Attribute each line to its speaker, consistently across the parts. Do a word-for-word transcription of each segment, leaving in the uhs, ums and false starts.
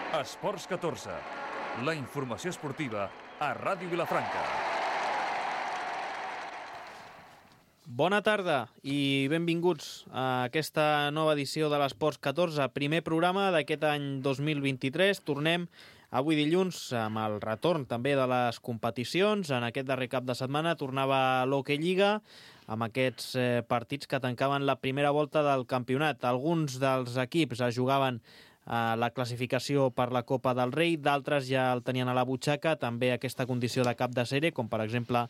Speaker 1: Esports catorze, la informació esportiva a Ràdio Vilafranca.
Speaker 2: Bona tarda i benvinguts a aquesta nova edició de l'Esports catorze, primer programa d'aquest any dos mil vint-i-tres. Tornem avui dilluns amb el retorn també de les competicions. En aquest darrer cap de setmana tornava l'Hockey Lliga amb aquests eh, partits que tancaven la primera volta del campionat. Alguns dels equips es jugaven a la classificació per la Copa del Rei, d'altres ja el tenien a la butxaca, també aquesta condició de cap de sèrie, com per exemple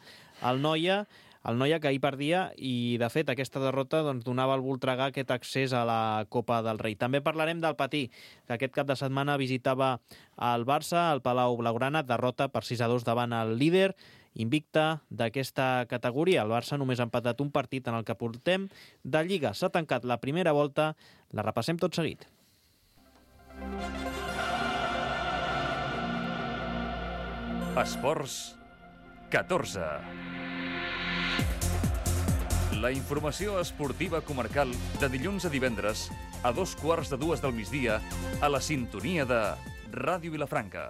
Speaker 2: el Noia, el Noia que ahir perdia i, de fet, aquesta derrota doncs, donava al Voltregà aquest accés a la Copa del Rei. També parlarem del Patí, que aquest cap de setmana visitava el Barça, el Palau Blaugrana, derrota per sis a dos davant el líder invicta d'aquesta categoria. El Barça només ha empatat un partit en el que portem de Lliga. S'ha tancat la primera volta, la repassem tot seguit.
Speaker 1: Esports catorze. La informació esportiva comarcal de dilluns a divendres a dos quarts de dues del migdia a la sintonia de Ràdio Vilafranca.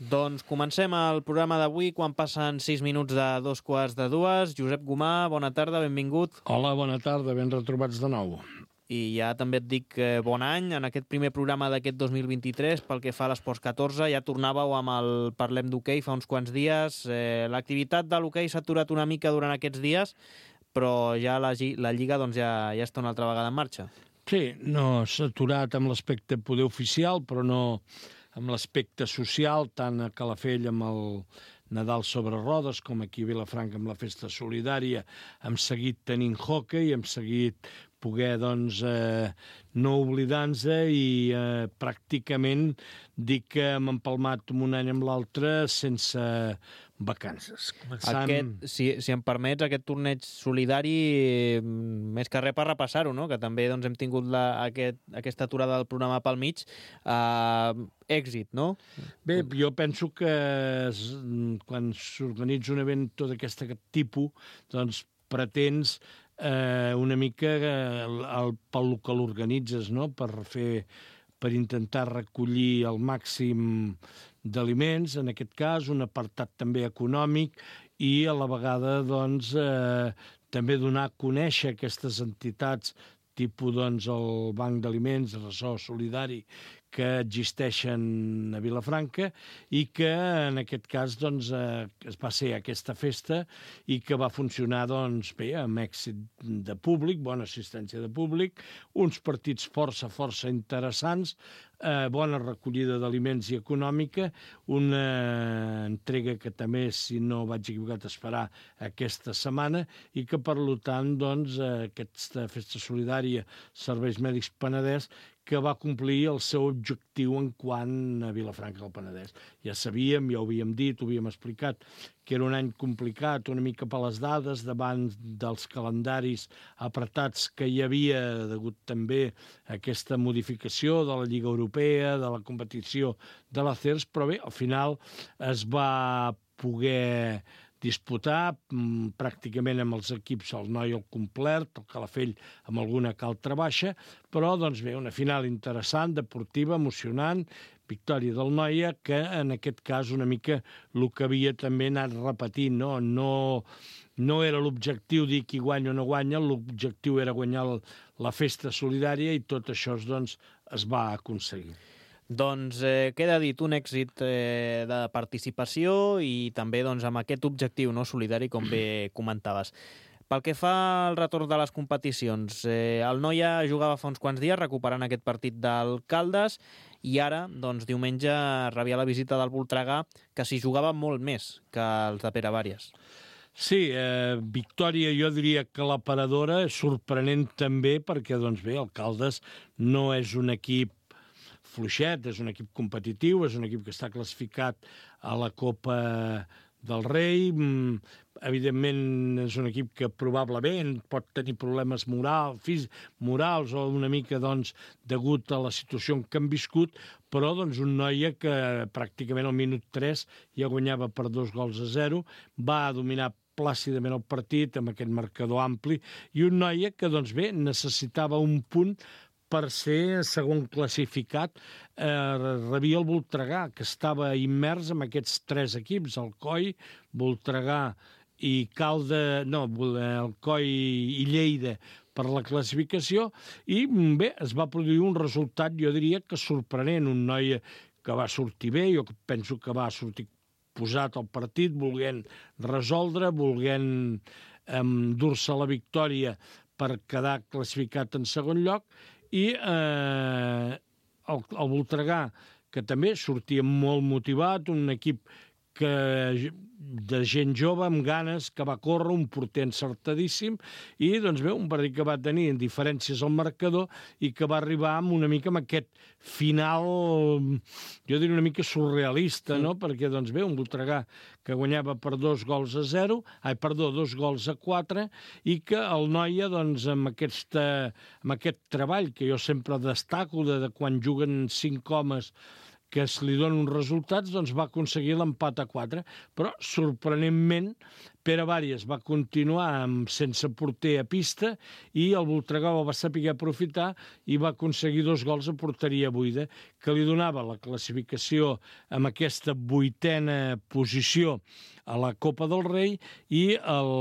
Speaker 2: Doncs comencem el programa d'avui quan passen sis minuts de dos quarts de dues. Josep Gomà, bona tarda, benvingut.
Speaker 3: Hola, bona tarda, ben retrobats de nou.
Speaker 2: I ja també et dic eh, bon any en aquest primer programa d'aquest dos mil vint-i-tres pel que fa a l'Esports catorze. Ja tornàveu amb el Parlem d'Hoquei fa uns quants dies. Eh, l'activitat de l'hoquei s'ha aturat una mica durant aquests dies, però ja la, la Lliga doncs, ja, ja està una altra vegada en marxa.
Speaker 3: Sí, no s'ha aturat amb l'aspecte poder oficial, però no amb l'aspecte social, tant a Calafell amb el Nadal sobre rodes, com aquí a Vilafranca amb la festa solidària, hem seguit tenint hoquei, hem seguit poder, doncs, eh, no oblidar-nos i eh, pràcticament dir que hem empalmat un any amb l'altre sense vacances.
Speaker 2: Començant... Aquest, si, si em permets, aquest torneig solidari, eh, més que res per repassar-ho, no? Que també doncs, hem tingut la, aquest, aquesta aturada del programa pel mig, eh, èxit, no?
Speaker 3: Bé, jo penso que es, quan s'organitza un event d'aquest tipus, doncs pretens eh, una mica el, el, pel que l'organitzes, no? Per fer, per intentar recollir el màxim d'aliments, en aquest cas, un apartat també econòmic i a la vegada doncs, eh, també donar a conèixer aquestes entitats tipus doncs, el Banc d'Aliments, el Ressò Solidari, que existeixen a Vilafranca i que en aquest cas doncs, eh, es va ser aquesta festa i que va funcionar doncs, bé, amb èxit de públic, bona assistència de públic, uns partits força, força interessants, eh, bona recollida d'aliments i econòmica, una entrega que també, si no vaig equivocat, es farà aquesta setmana i que, per tant, doncs, aquesta festa solidària Serveis Mèdics Penedès que va complir el seu objectiu en quant a Vilafranca del Penedès. Ja sabíem, ja ho havíem dit, ho havíem explicat, que era un any complicat, una mica per les dades, davant dels calendaris apretats que hi havia, degut també a aquesta modificació de la Lliga Europea, de la competició de la C E R S, però bé, al final es va poder disputar mm, pràcticament amb els equips, el Noia al complet, el Calafell amb alguna que altra baixa, però doncs bé, una final interessant, deportiva, emocionant, victòria del Noia, que en aquest cas una mica el que havia també anat repetint, no? No, no era l'objectiu dir qui guanya o no guanya, l'objectiu era guanyar la festa solidària i tot això doncs, es va aconseguir.
Speaker 2: Doncs eh, queda dit un èxit eh, de participació i també doncs, amb aquest objectiu no, solidari, com bé comentaves. Pel que fa al retorn de les competicions, eh, el Noia jugava fa uns quants dies recuperant aquest partit del Caldes i ara, doncs, diumenge, rebia la visita del Voltregà, que s'hi jugava molt més que els de Pere Vàries.
Speaker 3: Sí, eh, victòria jo diria que la paradora, sorprenent també perquè, doncs bé, el Caldes no és un equip fluixet, és un equip competitiu, és un equip que està classificat a la Copa del Rei, evidentment és un equip que probablement pot tenir problemes moral, físics, morals o una mica doncs, degut a la situació en què han viscut, però doncs, un Noia que pràcticament al minut tres ja guanyava per dos gols a zero, va dominar plàcidament el partit, amb aquest marcador ampli, i un Noia que, doncs bé, necessitava un punt per ser segon classificat, eh, rebia el Voltregà, que estava immers en aquests tres equips, Alcoi, Voltregà i Calde, no, Alcoi i Lleida per la classificació, i bé, es va produir un resultat, jo diria que sorprenent, un Noia que va sortir bé, jo penso que va sortir posat al partit, volent resoldre, volent endur-se la victòria per quedar classificat en segon lloc, i eh, el, el Voltregà, que també sortia molt motivat, un equip que, de gent jove, amb ganes, que va córrer, un porter encertadíssim, i doncs bé, un partit que va tenir diferències al marcador i que va arribar amb una mica amb aquest final, jo diria una mica surrealista, no? Perquè, doncs bé, un Voltregà que guanyava per dos gols a zero, ai, perdó, dos gols a quatre, i que el Noia, doncs, amb, aquesta, amb aquest treball que jo sempre destaco, de, de quan juguen cinc homes que es li donen uns resultats, doncs va aconseguir l'empat a quatre. Però, sorprenentment, Pere Vàries va continuar amb, sense porter a pista, i el Voltregà va saber aprofitar i va aconseguir dos gols a porteria buida, que li donava la classificació amb aquesta vuitena posició a la Copa del Rei, i el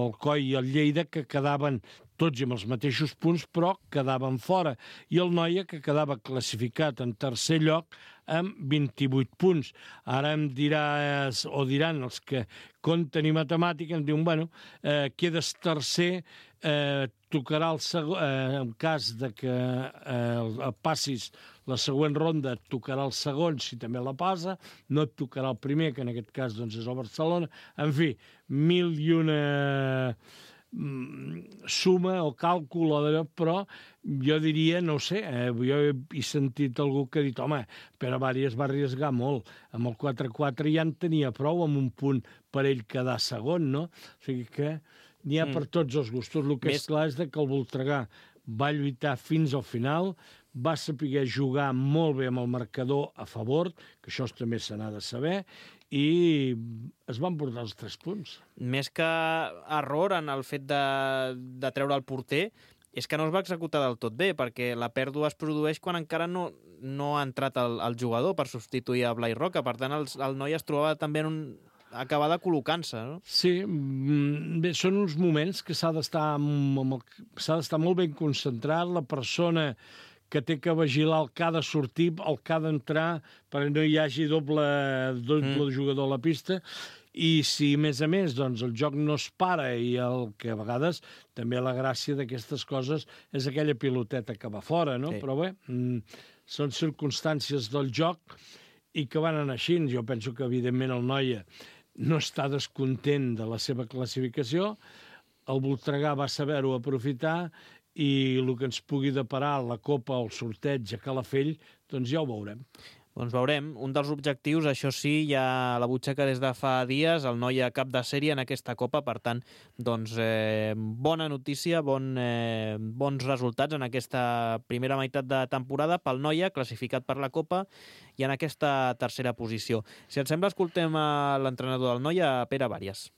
Speaker 3: Alcoi i el Lleida, que quedaven tots amb els mateixos punts, però quedaven fora. I el Noia, que quedava classificat en tercer lloc amb vint-i-vuit punts. Ara em diràs, o diran els que compten i matemàtica, em diuen, bueno, eh, quedes tercer, eh, tocarà el segon, eh, en cas de que eh, passis la següent ronda, et tocarà el segon, si també la passa, no et tocarà el primer, que en aquest cas doncs, és el Barcelona. En fi, mil i una suma o càlcul, però jo diria, no ho sé, eh, jo he sentit algú que ha dit, home, Pere Vàries va arriesgar molt, amb el quatre quatre ja en tenia prou, amb un punt per ell quedar segon, no? O sigui que n'hi ha mm. per tots els gustos. El que Més... és clar és que el Voltregà va lluitar fins al final, va saber jugar molt bé amb el marcador a favor, que això també se n'ha de saber, i es van portar els tres punts.
Speaker 2: Més que error en el fet de, de treure el porter, és que no es va executar del tot bé, perquè la pèrdua es produeix quan encara no, no ha entrat el, el jugador per substituir a Blai Roca. Per tant, el, el noi es trobava també en un acabar de col·locant-se, no?
Speaker 3: Sí, bé, són uns moments que s'ha d'estar s'ha d'estar molt ben concentrat, la persona que té que vigilar el que ha de sortir, el que ha d'entrar, perquè no hi hagi doble, doble mm. jugador a la pista, i si, a més a més, doncs, el joc no es para, i el que a vegades també la gràcia d'aquestes coses és aquella piloteta que va fora, no? Sí. Però bé, són circumstàncies del joc i que van anar així. Jo penso que, evidentment, el Noia no està descontent de la seva classificació, el Voltregà va saber-ho aprofitar, i el que ens pugui deparar la Copa o el sorteig a Calafell, doncs ja ho veurem.
Speaker 2: Doncs veurem. Un dels objectius, això sí, ja a la butxaca des de fa dies, el Noia cap de sèrie en aquesta Copa, per tant, doncs, eh, bona notícia, bon, eh, bons resultats en aquesta primera meitat de temporada pel Noia, classificat per la Copa, i en aquesta tercera posició. Si et sembla, escoltem a l'entrenador del Noia, Pere Vàries.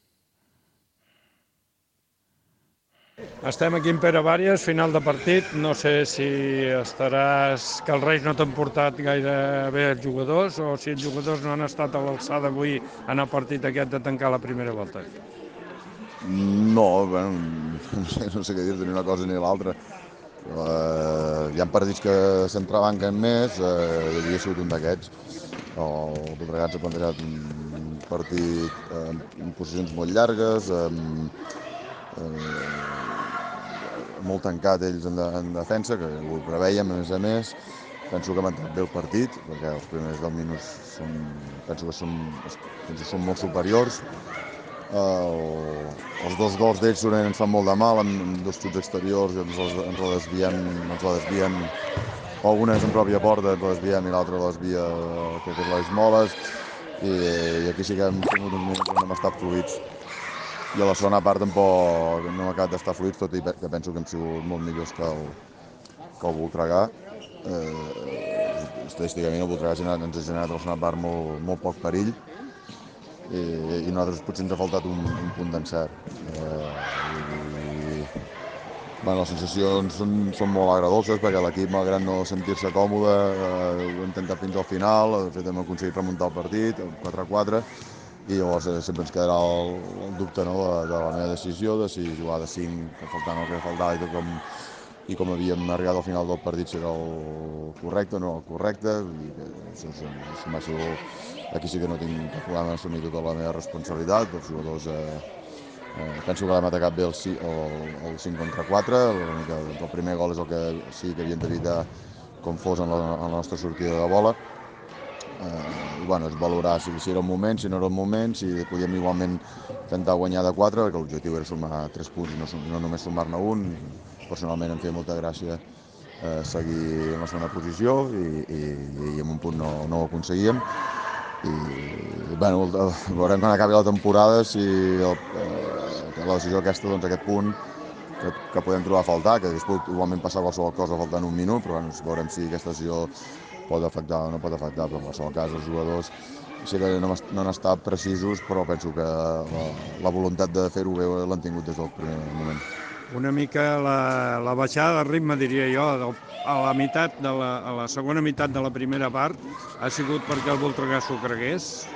Speaker 4: Estem aquí en Pere Vàries, final de partit. No sé si estaràs... que els Reis no t'han portat gaire bé els jugadors, o si els jugadors no han estat a l'alçada avui en el partit aquest de tancar la primera volta.
Speaker 5: No, bueno, no sé, no sé què dir-te, ni una cosa ni l'altra. Uh, hi ha partits que s'entrebanquen més, uh, hi havia sigut un d'aquests. El Voltregà s'ha plantejat un partit uh, en posicions molt llargues, amb... Uh, molt tancat ells en, de, en defensa, que ho preveiem a més a més. Penso que han entrat bé el partit, perquè els primers deu minuts són, penso que són, penso que són molt superiors. El, els dos gols d'ells ens fan molt de mal, amb dos xuts exteriors, i ens, ens la desviem, ens la desvien, o una és en pròpia porta, ens la desviem, i l'altra la desvia, que és les moles, i, i aquí sí que hem tingut uns minuts on hem estat fluïts. I a la segona part tampoc no hem acabat d'estar fluïts, tot i que penso que hem sigut molt millors que el, que el Voltregà. Eh, estadísticament el Voltregà ens ha generat a la segona part molt, molt poc perill, i, i nosaltres potser ens ha faltat un, un punt d'encert. Eh, i, bueno, les sensacions són, són molt agradolces perquè l'equip, malgrat no sentir-se còmode, eh, ho ha intentat fins al final, de fet hem aconseguit remuntar el partit, quatre a quatre, i llavors eh, sempre ens quedarà el, el dubte, no, de, de la meva decisió, de si jugar de cinc, faltant el que faltava i tot com, i com havíem arribat al final del partit, si era el correcte o no el correcte. I això és, és, és, aquí sí que no tinc cap problema d'assumir tota la meva responsabilitat. Els jugadors eh, eh, penso que l'hem atacat bé el, el, el cinc contra quatre. El primer gol és el que sí que havien d'evitar com fos en la, en la nostra sortida de bola. Eh, i bueno, és valorar si, si era un moment, si no era un moment, si podíem igualment intentar guanyar de quatre, perquè l'objectiu era sumar tres punts i no, no només sumar-ne un. Personalment em feia molta gràcia eh, seguir en la segona posició i, i, i amb un punt no, no ho aconseguíem. I bueno, veurem quan acabi la temporada si el, eh, la decisió aquesta, doncs aquest punt que, que podem trobar a faltar, que hagués pogut igualment passar qualsevol cosa faltant un minut, però bueno, veurem si aquesta decisió pot afectar o no pot afectar, però en qualsevol cas els jugadors sí que no, no han estat precisos, però penso que la, la voluntat de fer-ho bé l'han tingut des del primer moment.
Speaker 4: Una mica la, la baixada de ritme, diria jo, a la, meitat de la, a la segona meitat de la primera part ha sigut perquè el Voltregà s'ho cregués?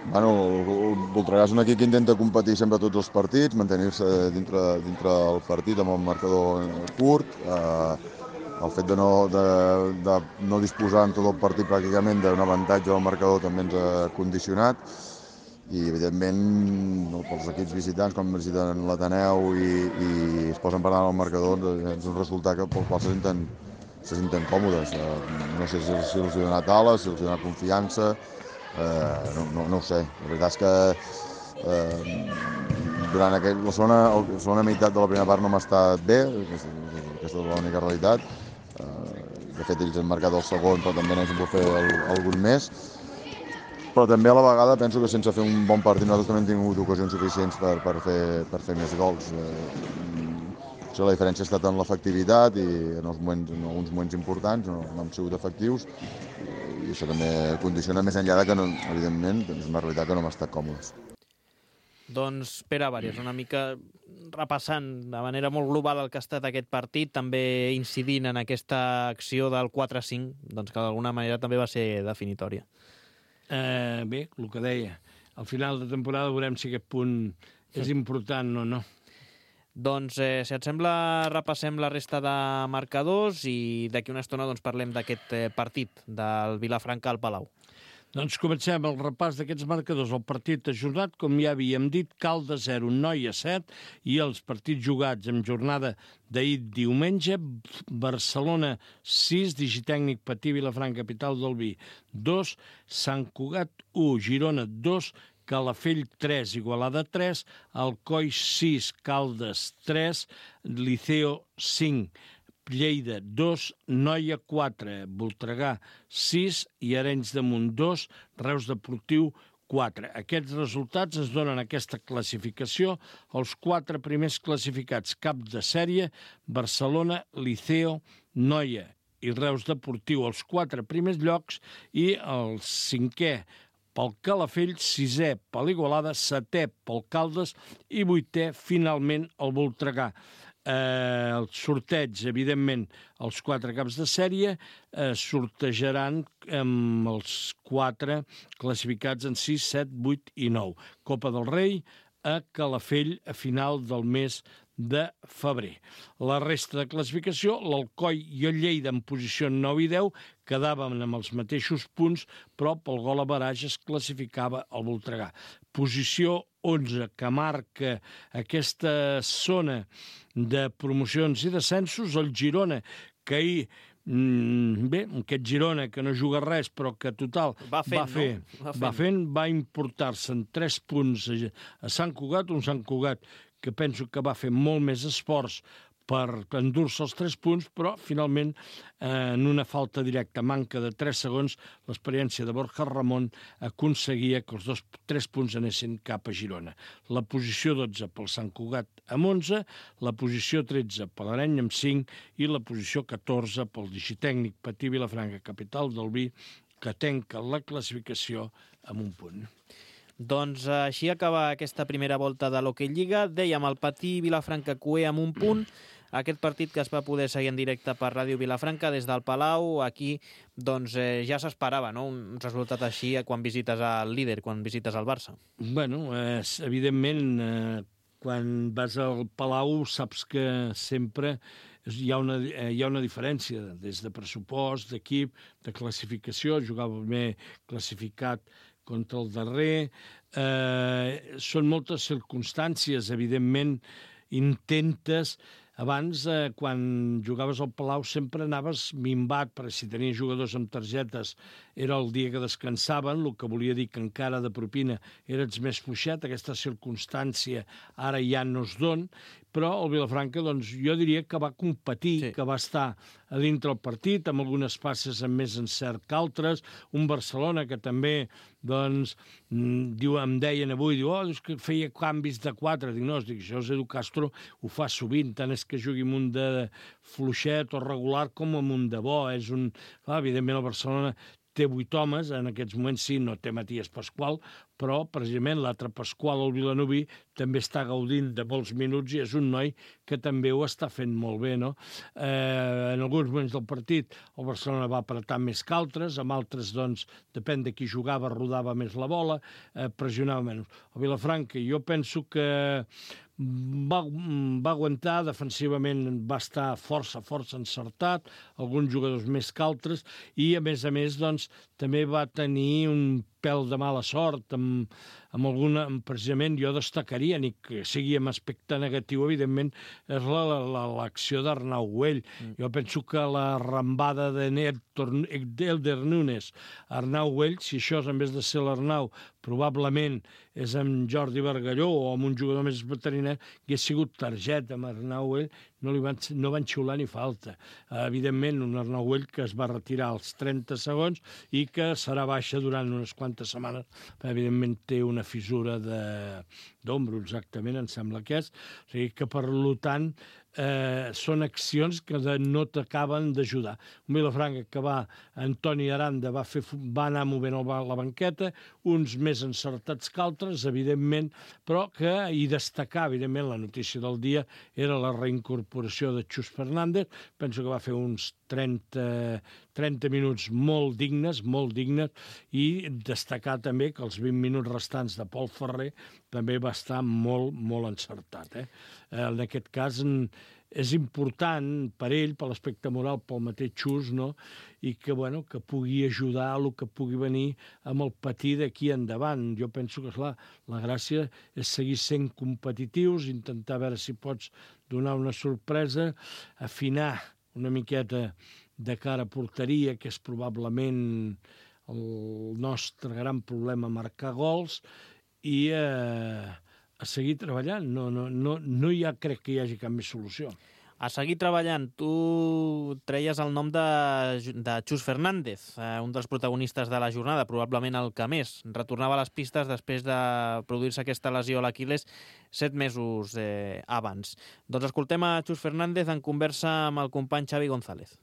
Speaker 5: Bueno, el Voltregà és un equip que intenta competir sempre tots els partits, mantenir-se dintre, dintre del partit amb el marcador curt. Eh, el fet de no, de, de no disposar en tot el partit pràcticament d'un avantatge del marcador també ens ha condicionat. I evidentment pels equips visitants, com visiten l'Ateneu i, i es posen per davant el marcador, és un resultat pel qual se senten, se senten còmodes. No sé si, si els ha donat ales, si els ha donat confiança, eh, no, no, no ho sé. La veritat és que eh, durant aquell, la, segona, la segona meitat de la primera part no m'ha estat bé, aquesta, aquesta és l'única realitat. Eh, de fet, ells han marcat el segon, però també n'hem pogut fer el, algun més. Però també a la vegada penso que sense fer un bon partit nosaltres també hem tingut ocasions suficients per, per, fer, per fer més gols. Eh, la diferència ha estat en l'efectivitat i en, els moments, en alguns moments importants no, no hem sigut efectius i això també condiciona més enllà de que, no, evidentment, és una realitat que no hem estat còmodes.
Speaker 2: Doncs Pere Àries, una mica repassant de manera molt global el que ha estat aquest partit, també incidint en aquesta acció del quatre a cinc, doncs que d'alguna manera també va ser definitòria.
Speaker 3: Eh, bé, el que deia, al final de temporada veurem si aquest punt és important o no.
Speaker 2: Doncs, eh, si et sembla, repassem la resta de marcadors i d'aquí una estona doncs, parlem d'aquest eh, partit del Vilafranca al Palau.
Speaker 3: Doncs comencem el repàs d'aquests marcadors. El partit ajornat, com ja havíem dit, Caldes zero, Noia set, i els partits jugats en jornada d'ahir diumenge, Barcelona sis, Digitècnic Patí, Vilafranca, capital del Vi, dos, Sant Cugat u, Girona dos, Calafell tres, Igualada tres, Alcoi sis, Caldes tres, Liceo cinc, Lleida dos, Noia quatre, Voltregà sis i Arenys de Munt dos, Reus Deportiu quatre. Aquests resultats ens donen aquesta classificació. Els quatre primers classificats cap de sèrie, Barcelona, Liceo, Noia i Reus Deportiu, els quatre primers llocs, i el cinquè pel Calafell, sisè per l'Igualada, setè pel Caldes i vuitè, finalment, el Voltregà. Eh, el sorteig, evidentment, els quatre caps de sèrie eh, sortejaran amb els quatre classificats en sis, set, vuit i nou. Copa del Rei a Calafell a final del mes de febrer. La resta de classificació, l'Alcoi i el Lleida en posició nou i deu, quedaven amb els mateixos punts, però pel gol average es classificava el Voltregà. Posició onze, que marca aquesta zona de promocions i descensos, el Girona, que ahir, mm, bé, aquest Girona que no juga res, però que total
Speaker 2: va, fent,
Speaker 3: va fer,
Speaker 2: no? va, fent.
Speaker 3: va fent, va importar-se en tres punts a Sant Cugat, un Sant Cugat que penso que va fer molt més esforç per endur-se els tres punts, però finalment eh, en una falta directa, manca de tres segons, l'experiència de Borja Ramon aconseguia que els dos, tres punts anessin cap a Girona. La posició dotze pel Sant Cugat amb onze, la posició tretze per l'Areny amb cinc i la posició catorze pel Digitècnic Patí Vilafranca, capital del Vi, que tanca la classificació amb un punt.
Speaker 2: Doncs així acaba aquesta primera volta de l'Hockey Lliga. Dèiem el Patí Vilafranca Cué amb un punt. Aquest partit que es va poder seguir en directe per Ràdio Vilafranca des del Palau, aquí doncs, eh, ja s'esperava, no?, un resultat així quan visites al líder, quan visites al Barça.
Speaker 3: Bueno, eh, evidentment, eh, quan vas al Palau saps que sempre hi ha una, eh, hi ha una diferència, des de pressupost, d'equip, de classificació, jugava bé classificat contra el darrer. Eh, són moltes circumstàncies, evidentment, intentes. Abans, eh, quan jugaves al Palau, sempre anaves minvat, perquè si tenies jugadors amb targetes era el dia que descansaven, el que volia dir que encara de propina eres més fluixet. Aquesta circumstància ara ja no es don, però el Vilafranca, doncs, jo diria que va competir, sí. que va estar a dintre el partit, amb algunes passes amb més encert que altres. Un Barcelona que també, doncs, diu, em deien avui, diu, oh, és que feia canvis de quatre. Dic, no, dic, això és Edu Castro, ho fa sovint, tant és que jugui amb un de fluixet o regular com amb un de bo. És un... Clar, evidentment, el Barcelona té vuit homes, en aquests moments sí, no té Matías Pascual, però precisament l'altre Pascual, el vilanoví, també està gaudint de molts minuts i és un noi que també ho està fent molt bé, no? Eh, en alguns moments del partit el Barcelona va apretar més que altres, amb altres, doncs, depèn de qui jugava, rodava més la bola, eh, pressionava menys. El Vilafranca, jo penso que va, va aguantar, defensivament va estar força, força encertat, alguns jugadors més que altres, i a més a més, doncs, també va tenir un pèl de mala sort, amb, amb alguna, precisament jo destacaria, ni que sigui amb aspecte negatiu, evidentment, és l'acció d'Arnau Güell. Mm. Jo penso que la rambada d'Elder Nunes, Arnau Güell, si això en vez de ser l'Arnau, probablement és amb Jordi Bargalló o amb un jugador més veterinari, que ha sigut targeta amb Arnau Güell, no, li van, no van xiular ni falta. Evidentment, un Arnau Güell que es va retirar als trenta segons i que serà baixa durant unes quantes setmanes. Evidentment, té una fissura d'ombro, exactament, em sembla que és. O sigui que, per tant, eh, són accions que no t'acaben d'ajudar. Un Vilafranca que va, Antoni Aranda va, fer, va anar movent la banqueta, uns més encertats que altres, evidentment, però que hi destacar, evidentment, la notícia del dia era la reincorporació de Xus Fernández. Penso que va fer uns trenta, trenta minuts molt dignes, molt dignes, i destacar també que els vint minuts restants de Pol Ferrer també va estar molt, molt encertat. Eh? En aquest cas és important per ell, per l'aspecte moral, pel mateix Xus, no? I que, bueno, que pugui ajudar a el que pugui venir amb el Patí d'aquí endavant. Jo penso que, clar, la gràcia és seguir sent competitius, intentar veure si pots donar una sorpresa, afinar una miqueta de cara a porteria, que és probablement el nostre gran problema, marcar gols, i eh, a seguir treballant. No, no, no, no hi ha, crec que hi hagi cap més solució.
Speaker 2: A seguir treballant. Tu treies el nom de, de Xus Fernández, eh, un dels protagonistes de la jornada, probablement el que més. Retornava a les pistes després de produir-se aquesta lesió a l'Aquil·les set mesos eh, abans. Doncs escoltem a Xus Fernández en conversa amb el company Xavi González.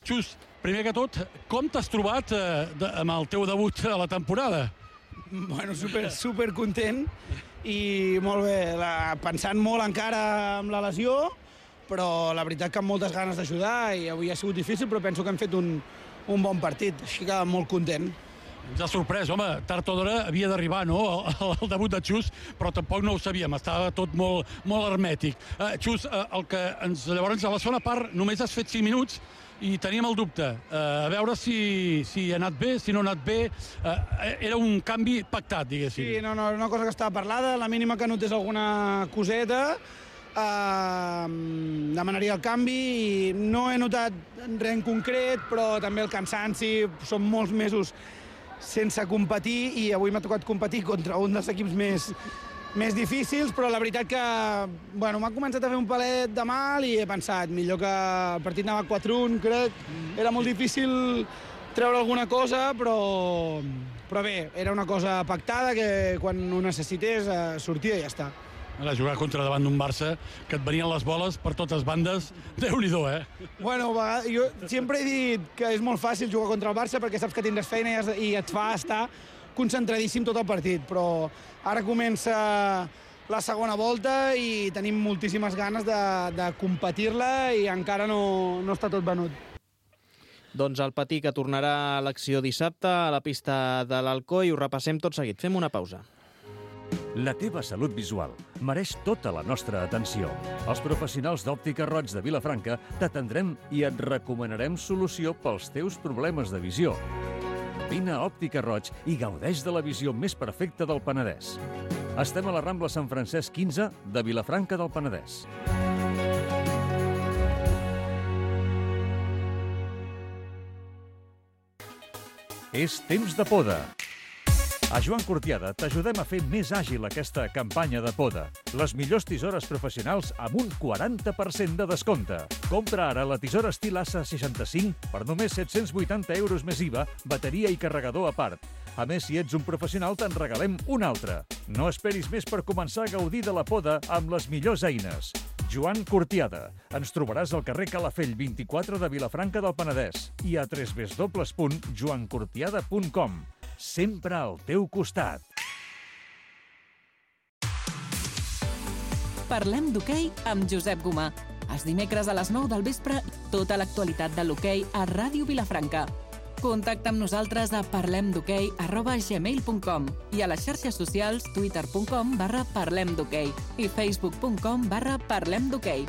Speaker 6: Xus, primer que tot, com t'has trobat eh, de, amb el teu debut a la temporada?
Speaker 7: Bueno, super, super content i molt bé, la, pensant molt encara amb la lesió, però la veritat que amb moltes ganes d'ajudar, i avui ha sigut difícil, però penso que hem fet un, un bon partit, així que molt content.
Speaker 6: Ens ha sorprès, home, tard o d'hora havia d'arribar, no?, el, el debut de Xus, però tampoc no ho sabíem, estava tot molt, molt hermètic. Uh, Xus, uh, el que ens, llavors, a la segona part només has fet cinc minuts, i teníem el dubte, uh, a veure si, si ha anat bé, si no ha anat bé. Uh, era un canvi pactat, diguéssim.
Speaker 7: Sí, no, no, una cosa que estava parlada, la mínima que notés alguna coseta, uh, demanaria el canvi, i no he notat res en concret, però també el cansanci, són molts mesos sense competir, i avui m'ha tocat competir contra un dels equips més, més difícils, però la veritat que bueno, m'ha començat a fer un palet de mal i he pensat, millor que el partit anava quatre a un, crec. Era molt difícil treure alguna cosa, però, però bé, era una cosa pactada que quan ho necessités eh, sortia i ja està.
Speaker 6: Ara, jugar contra davant d'un Barça, que et venien les boles per totes bandes, Déu-n'hi-do, eh?
Speaker 7: Bueno, jo sempre he dit que és molt fàcil jugar contra el Barça perquè saps que tindràs feina i et fa estar, concentradíssim tot el partit, però ara comença la segona volta i tenim moltíssimes ganes de, de competir-la i encara no, no està tot venut.
Speaker 2: Doncs el Patí, que tornarà a l'acció dissabte a la pista de l'Alcoi, ho repassem tot seguit. Fem una pausa.
Speaker 1: La teva salut visual mereix tota la nostra atenció. Els professionals d'Òptica Roig de Vilafranca t'atendrem i et recomanarem solució pels teus problemes de visió. Vine a Òptica Roig i gaudeix de la visió més perfecta del Penedès. Estem a la Rambla Sant Francesc quinze de Vilafranca del Penedès. És temps de poda. A Joan Cortiada t'ajudem a fer més àgil aquesta campanya de poda. Les millors tisores professionals amb un quaranta per cent de descompte. Compra ara la tisora estil A S A seixanta-cinc per només set-cents vuitanta euros més I V A, bateria i carregador a part. A més, si ets un professional, te'n regalem una altra. No esperis més per començar a gaudir de la poda amb les millors eines. Joan Cortiada. Ens trobaràs al carrer Calafell vint-i-quatre de Vilafranca del Penedès i a w w w punt joan cortiada punt com. Sempre al teu costat.
Speaker 8: Parlem d'hoquei amb Josep Gomà. Els dimecres a les nou del vespre, tota l'actualitat de l'hoquei a Ràdio Vilafranca. Contacta amb nosaltres a parlemdhoquei arroba gmail punt com i a les xarxes socials twitter punt com barra parlemdhoquei i facebook punt com barra parlemdhoquei.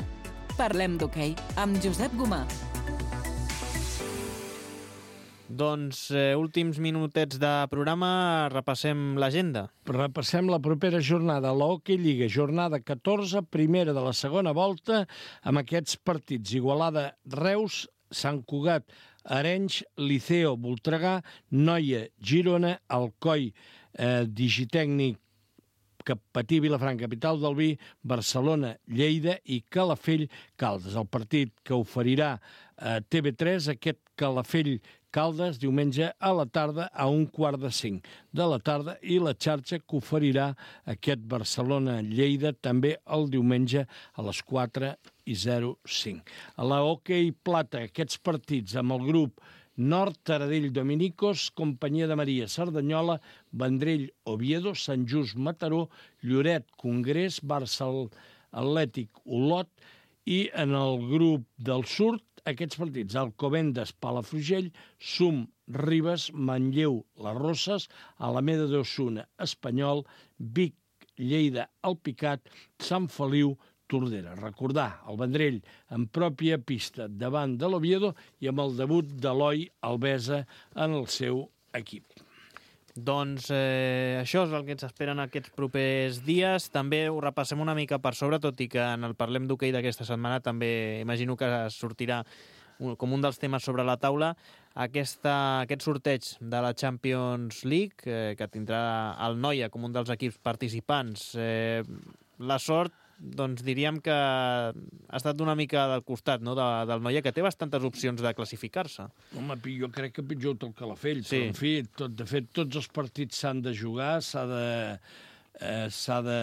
Speaker 8: Parlem d'hoquei amb Josep Gomà.
Speaker 2: Doncs eh, últims minutets de programa, repassem l'agenda.
Speaker 3: Repassem la propera jornada, la Hockey Lliga, jornada catorze, primera de la segona volta, amb aquests partits: Igualada, Reus, Sant Cugat, Arenys, Liceo, Voltregà, Noia, Girona, Alcoi, eh, Digitècnic, Patí, Vilafranca, capital del vi, Barcelona, Lleida i Calafell, Caldes. El partit que oferirà a T V tres, aquest Calafell Caldes, diumenge a la tarda a un quart de cinc de la tarda, i la xarxa que oferirà aquest Barcelona-Lleida també el diumenge a les quatre i zero cinc. A la Hockey Plata, aquests partits amb el grup Nord, Taradell, Dominicos, Companyia de Maria, Cerdanyola, Vendrell, Oviedo, Sant Just, Mataró, Lloret, Congrés, Barça Atlètic, Olot, i en el grup del Sud, aquests partits: Alcobendas, Palafrugell, Sum, Ribes, Manlleu, Les Rosses, Alameda d'Osuna, Espanyol, Vic, Lleida, Alpicat, Sant Feliu, Tordera. Recordar, el Vendrell en pròpia pista davant de l'Oviedo i amb el debut d'Eloi Albesa en el seu equip.
Speaker 2: Doncs eh, això és el que ens esperen aquests propers dies. També ho repassem una mica per sobre, tot i que en el Parlem d'hoquei d'aquesta setmana també imagino que sortirà com un dels temes sobre la taula aquesta, aquest sorteig de la Champions League, eh, que tindrà el Noia com un dels equips participants. Eh, la sort, doncs diríem que ha estat una mica del costat, no?, de, del Noia, que té bastantes opcions de classificar-se.
Speaker 3: Home, jo crec que pitjor tot Calafell,
Speaker 2: sí.
Speaker 3: Però en fi, tot, de fet, tots els partits s'han de jugar, s'ha de... Eh, s'ha de...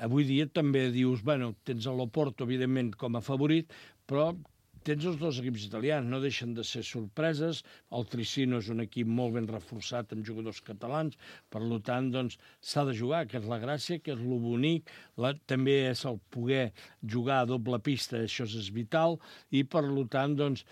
Speaker 3: Avui dia també dius, bueno, tens l'Oporto, evidentment, com a favorit, però tens els dos equips italians, no deixen de ser sorpreses. El Tricino és un equip molt ben reforçat amb jugadors catalans, per tant, doncs, s'ha de jugar, que és la gràcia, que és lo bonic. La, també és el poder jugar a doble pista, això és vital, i per tant, doncs,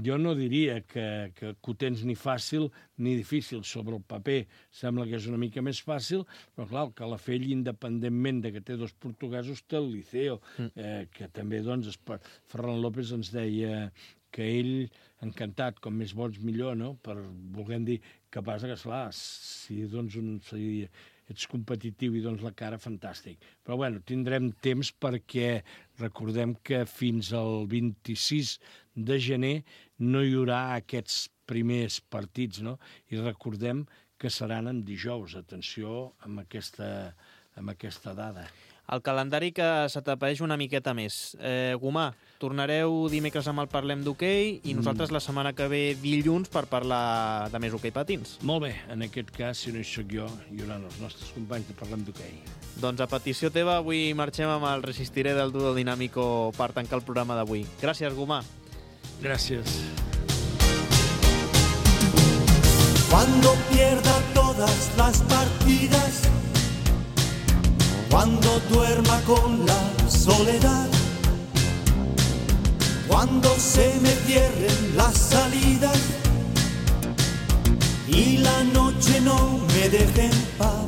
Speaker 3: jo no diria que, que, que ho tens ni fàcil ni difícil. Sobre el paper sembla que és una mica més fàcil, però clar, el Calafell, independentment de que té dos portuguesos, té el Liceo, eh, que també, doncs, Ferran López ens deia que ell, encantat, com més bons millor, no?, per, volguem dir, que passa que, esclar, si, doncs, un, si ets competitiu i dones la cara, fantàstic. Però, bueno, tindrem temps perquè recordem que fins al vint-i-sis de gener no hi haurà aquests primers partits, no? I recordem que seran en dijous. Atenció amb aquesta, amb aquesta dada.
Speaker 2: El calendari que s'atapeeix una miqueta més. Eh, Gomà, tornareu dimecres amb el Parlem d'hoquei i nosaltres la setmana que ve dilluns per parlar de més hoquei patins.
Speaker 3: Molt bé, en aquest cas, si no hi soc jo, hi haurà els nostres companys de Parlem d'hoquei.
Speaker 2: Doncs a petició teva, avui marxem amb el Resistiré del Duo Dinàmico per tancar el programa d'avui. Gràcies, Gomà.
Speaker 3: Gràcies.
Speaker 9: Cuando pierda todo todas las partidas, cuando duerma con la soledad, cuando se me cierren las salidas y la noche no me deje en paz.